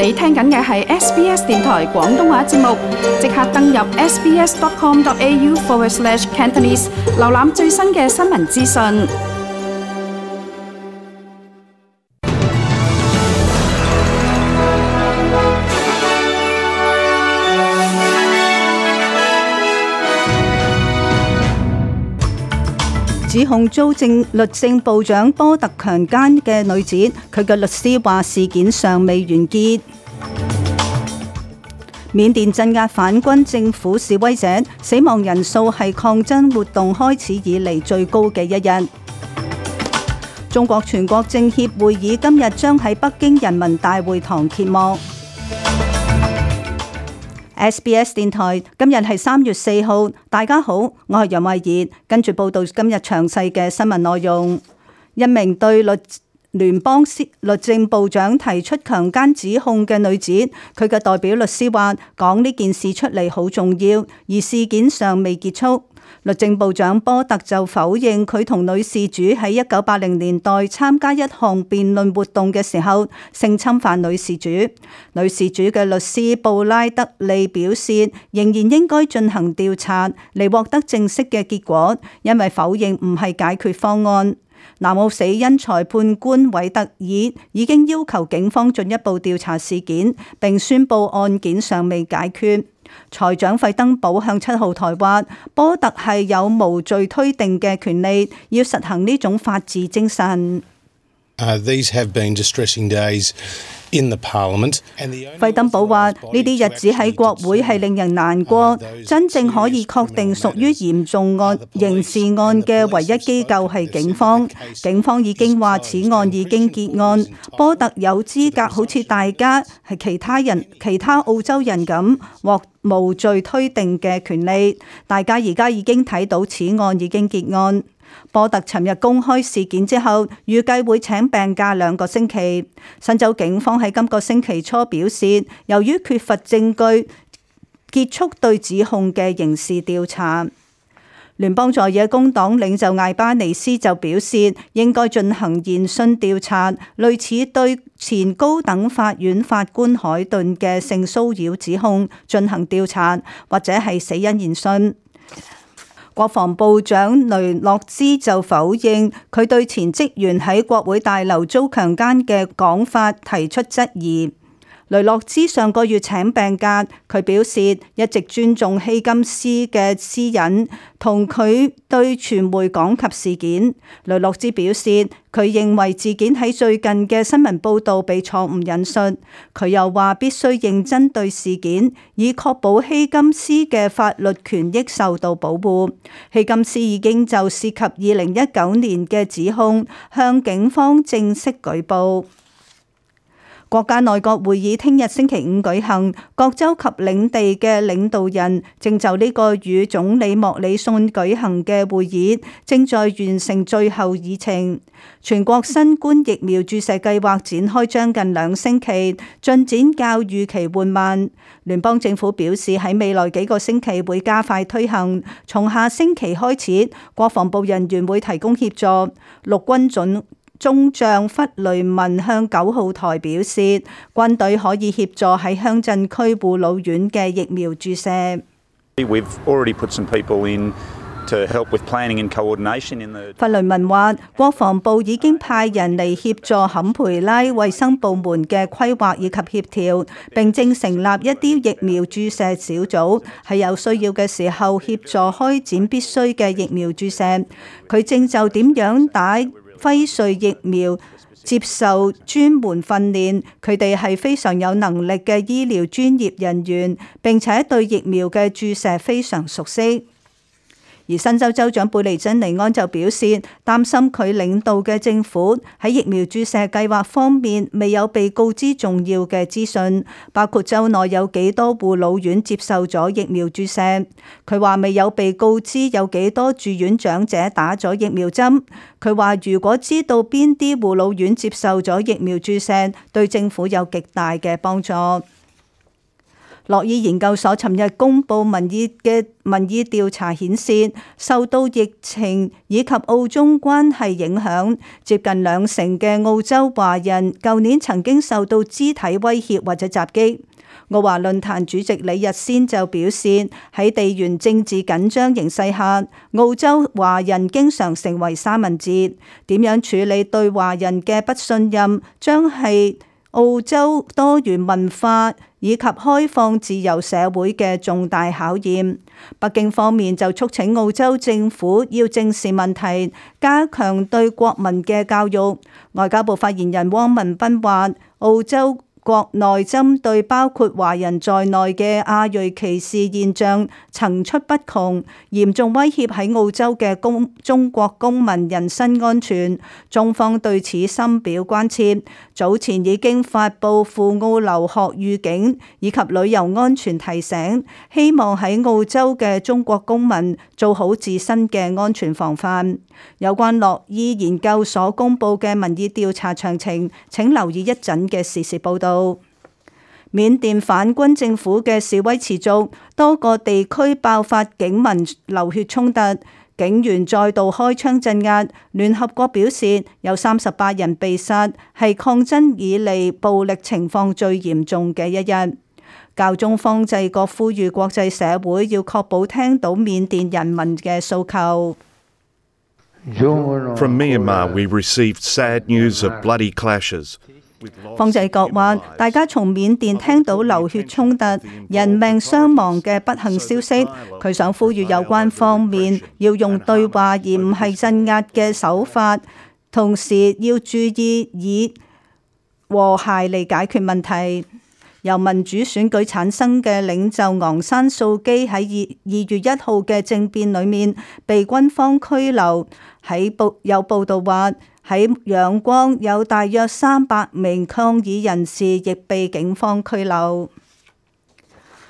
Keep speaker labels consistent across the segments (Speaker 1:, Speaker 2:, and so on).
Speaker 1: 你聽緊嘅係 SBS 電台廣東話節目，即刻登入 sbs.com.au/Cantonese， 瀏覽最新嘅新聞資訊。
Speaker 2: 指控遭律政部長波特強姦嘅女子，佢嘅律師話事件尚未完結。緬甸鎮壓反軍政府示威者，死亡人數係抗爭活動開始以嚟最高嘅一日。中國全國政協會議今日將喺北京人民大會堂揭幕。SBS 電台今日係3月4號，大家好，我係楊慧儀，跟住報道今日詳細嘅新聞內容。一名對聯邦律政部長提出強姦指控嘅女子，佢嘅代表律師話講呢件事出嚟好重要，而事件尚未結束。律政部長波特就否認佢同女事主喺1980年代參加一項辯論活動嘅時候性侵犯女事主。女事主嘅律師布拉德利表示，仍然應該進行調查嚟獲得正式嘅結果，因為否認唔係解決方案。南澳死因裁判官韋特爾已經要求警方進一步調查事件，並宣布案件尚未解決。財長費登堡向7號台話，波特係有無罪推定嘅權利，要實行呢種法治精神。
Speaker 3: These have been distressing days in the Parliament.
Speaker 2: 費登堡話：呢啲日子喺國會係令人難過。真正可以確定屬於嚴重刑事案嘅唯一機構係警方。警方已經話此案已經結案。波特有資格好似大家係其他澳洲人咁獲無罪推定嘅權利。大家而家已經睇到此案已經結案。波特尋日公開事件之後，預計會請病假2個星期。新州警方喺今個星期初表示，由於缺乏證據，結束對指控嘅刑事調查。聯邦在野工黨領袖艾巴尼斯就表示，應該進行研訊調查，類似對前高等法院法官海頓嘅性騷擾指控進行調查，或者係死因研訊。國防部長雷諾茲就否認佢對前職員喺國會大樓遭強姦嘅講法提出質疑。雷諾茲上個月請病假，佢表示一直尊重希金斯嘅私隱，同佢對傳媒講及事件。雷諾茲表示，佢認為事件喺最近嘅新聞報導被錯誤引述。佢又話必須認真對事件，以確保希金斯嘅法律權益受到保護。希金斯已經就涉及2019年嘅指控向警方正式舉報。國家內閣會議聽日星期5舉行，各州及領地嘅領導人正就呢個與總理莫里遜舉行嘅會議，正在完成最後議程。全國新冠疫苗注射計劃展開將近2星期，進展較預期緩慢。聯邦政府表示喺未來幾個星期會加快推行，從下星期開始，國防部人員會提供協助。陸軍中將弗雷文向9號台表示，軍隊可以協助喺鄉鎮區護老院嘅疫苗注射。弗雷文話，國防部已經派人嚟協助坎培拉衛生部門嘅規劃以及協調，並正成立一啲疫苗注射小組，喺有需要嘅時候協助開展必須嘅疫苗注射。佢正就點樣打輝瑞疫苗接受專門訓練，佢哋係非常有能力嘅醫療專業人員，並且對疫苗嘅注射非常熟悉。而新州州長貝尼珍尼安就表示，擔心佢領導嘅政府喺疫苗注射計劃方面未有被告知重要嘅資訊，包括州內有幾多護老院接受咗疫苗注射。佢話未有被告知有幾多住院長者打咗疫苗針。佢話如果知道邊啲護老院接受咗疫苗注射，對政府有極大嘅幫助。洛伊研究所尋日公布民意調查顯示，受到疫情以及澳中關係影響，接近20%嘅澳洲華人舊年曾經受到肢體威脅或者襲擊。澳華論壇主席李日先就表示，喺地緣政治緊張形勢下，澳洲華人經常成為三文治。點樣處理對華人嘅不信任，將係澳洲多元文化以及開放自由社會嘅重大考驗。北京方面就促請澳洲政府要正視問題，加強對國民嘅教育。外交部發言人汪文斌話，澳洲國內針對包括華人在內嘅亞裔歧視現象層出不窮，嚴重威脅喺澳洲嘅中國公民人身安全。中方對此深表關切，早前已經發布赴澳留學預警以及旅遊安全提醒，希望喺澳洲嘅中國公民做好自身嘅安全防範。有關洛伊研究所公布嘅民意調查詳情，請留意一陣嘅時事報導。緬甸反軍政府嘅示威持續，多個地區爆發警民流血衝突，警員再度開槍鎮壓。聯合國表示有38人被殺，係抗爭以嚟暴力情況最嚴重嘅一日。教宗方濟各呼籲國際社會要確保聽到緬甸人民嘅訴求。
Speaker 4: From Myanmar, we received sad news of bloody clashes.
Speaker 2: 方濟各話：大家從緬甸聽到流血衝突、人命傷亡嘅不幸消息，佢想呼籲有關方面要用對話而唔係鎮壓嘅手法，同時要注意以和諧嚟解決問題。由民主選舉產生嘅領袖昂山素基喺2月1號嘅政變裏面被軍方拘留。有報道話喺仰光有大約300名抗議人士亦被警方拘留。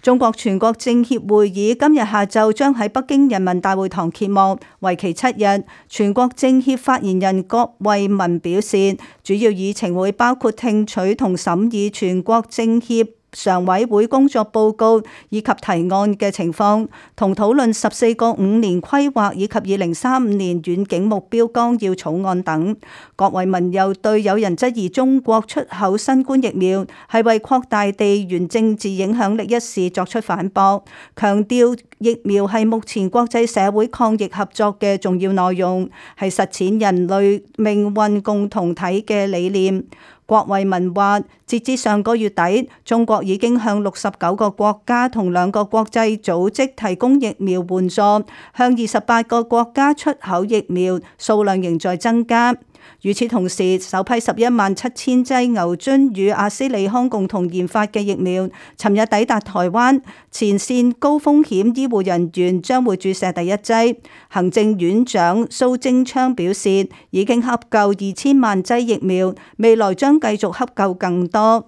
Speaker 2: 中國全國政協會議今日下晝將喺北京人民大會堂揭幕，為期7日。全國政協發言人郭衛民表示，主要議程會包括聽取同審議全國政協常委會工作報告以及提案嘅情況，同討論14個5年規劃以及2035年遠景目標綱要草案等。郭衛民又對有人質疑中國出口新冠疫苗係為擴大地緣政治影響力一事作出反駁，強調疫苗係目前國際社會抗疫合作嘅重要內容，係實踐人類命運共同體嘅理念。郭衛民話，截至上個月底，中國已經向69個國家同2個國際組織提供疫苗援助，向28個國家出口疫苗，數量仍在增加。與此同時，首批117000劑牛津與阿斯利康共同研發嘅疫苗，尋日抵達台灣，前線高風險醫護人員將會注射第一劑。行政院長蘇貞昌表示，已經洽購2000萬劑疫苗，未來將繼續洽購更多。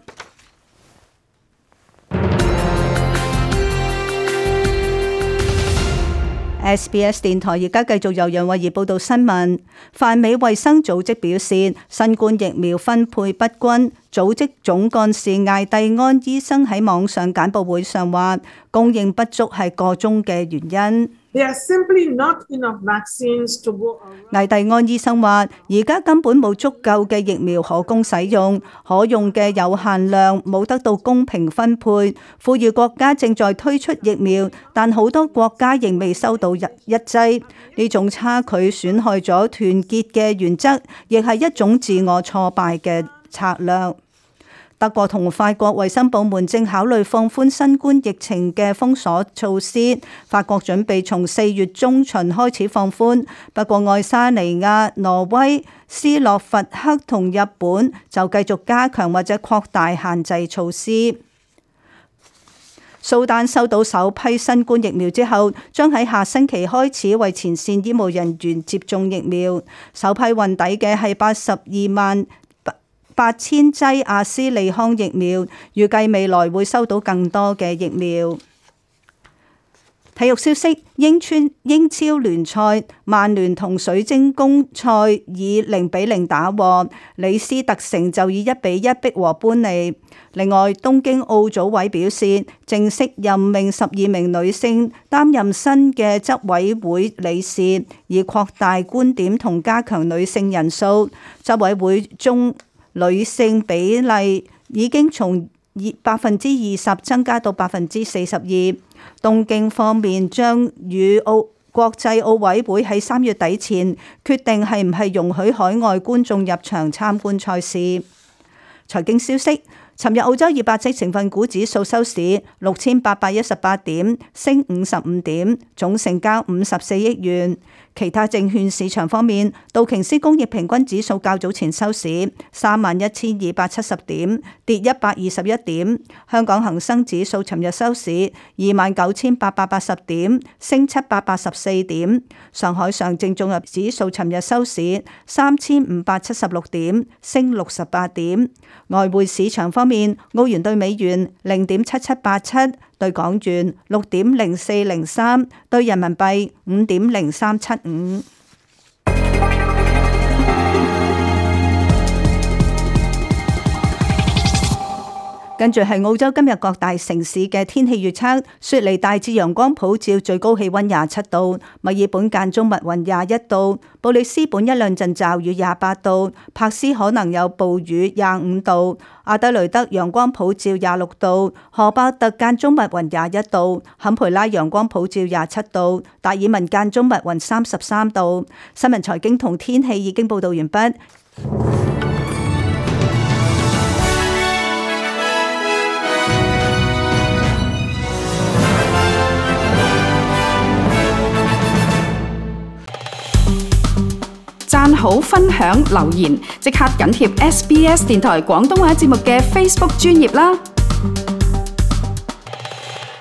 Speaker 2: SBS 電台而家繼續由楊慧儀報道新聞。泛美衛生組織表示，新冠疫苗分配不均。組織總幹事艾蒂安醫生喺網上簡報會上話，供應不足係個中嘅原因。艾蒂安醫生話，而家根本冇足夠嘅疫苗可供使用，可用嘅有限量冇得到公平分配。富裕國家正在推出疫苗，但好多國家仍未收到一劑。呢種差距損害咗團結嘅原則，亦係一種自我挫敗嘅策略。德國同法國衛生部門正考慮放寬新冠疫情嘅封鎖措施。法國準備從4月中旬開始放寬，不過愛沙尼亞、挪威、斯洛伐克同日本就繼續加強或者擴大限制措施。蘇丹收到首批新冠疫苗之後，將喺下星期開始為前線醫務人員接種疫苗。首批運抵嘅係828000劑阿斯利康疫苗，預計未來會收到更多嘅疫苗。體育消息：英超聯賽，曼聯同水晶宮賽以0-0打和，李斯特城就以1-1逼和般尼。另外，東京奧組委表示，正式任命12名女性擔任新嘅執委會理事，以擴大觀點同加強女性人數。執委會中女性比例已經從20%增加到42%。東京方面將與國際奧委會喺3月底前決定係唔係容許海外觀眾入場參觀賽事。財經消息：尋日澳洲200隻成分股指數收市6818點，升55點，總成交54億元。其他證券市場方面，道瓊斯工業平均指數較早前收市31270點，跌121點。香港恒生指數尋日收市29880點，升784點。上海上證綜合指數尋日收市3576點，升68點。外匯市場方面，澳元對美元0.7787，對港元6.0403，對人民幣5.0375。跟住係澳洲今日各大城市嘅天氣預測：雪梨大致陽光普照，最高氣溫27度；墨爾本間中密雲21度；布里斯本一兩陣驟雨28度；柏斯可能有暴雨25度；阿德雷德陽光普照26度；荷伯特間中密雲21度；坎培拉陽光普照27度；達爾文間中密雲33度。新聞財經同天氣已經報道完畢。
Speaker 1: 讚好、分享、留言，即刻緊貼SBS 電台廣東話節目嘅 Facebook 專頁啦！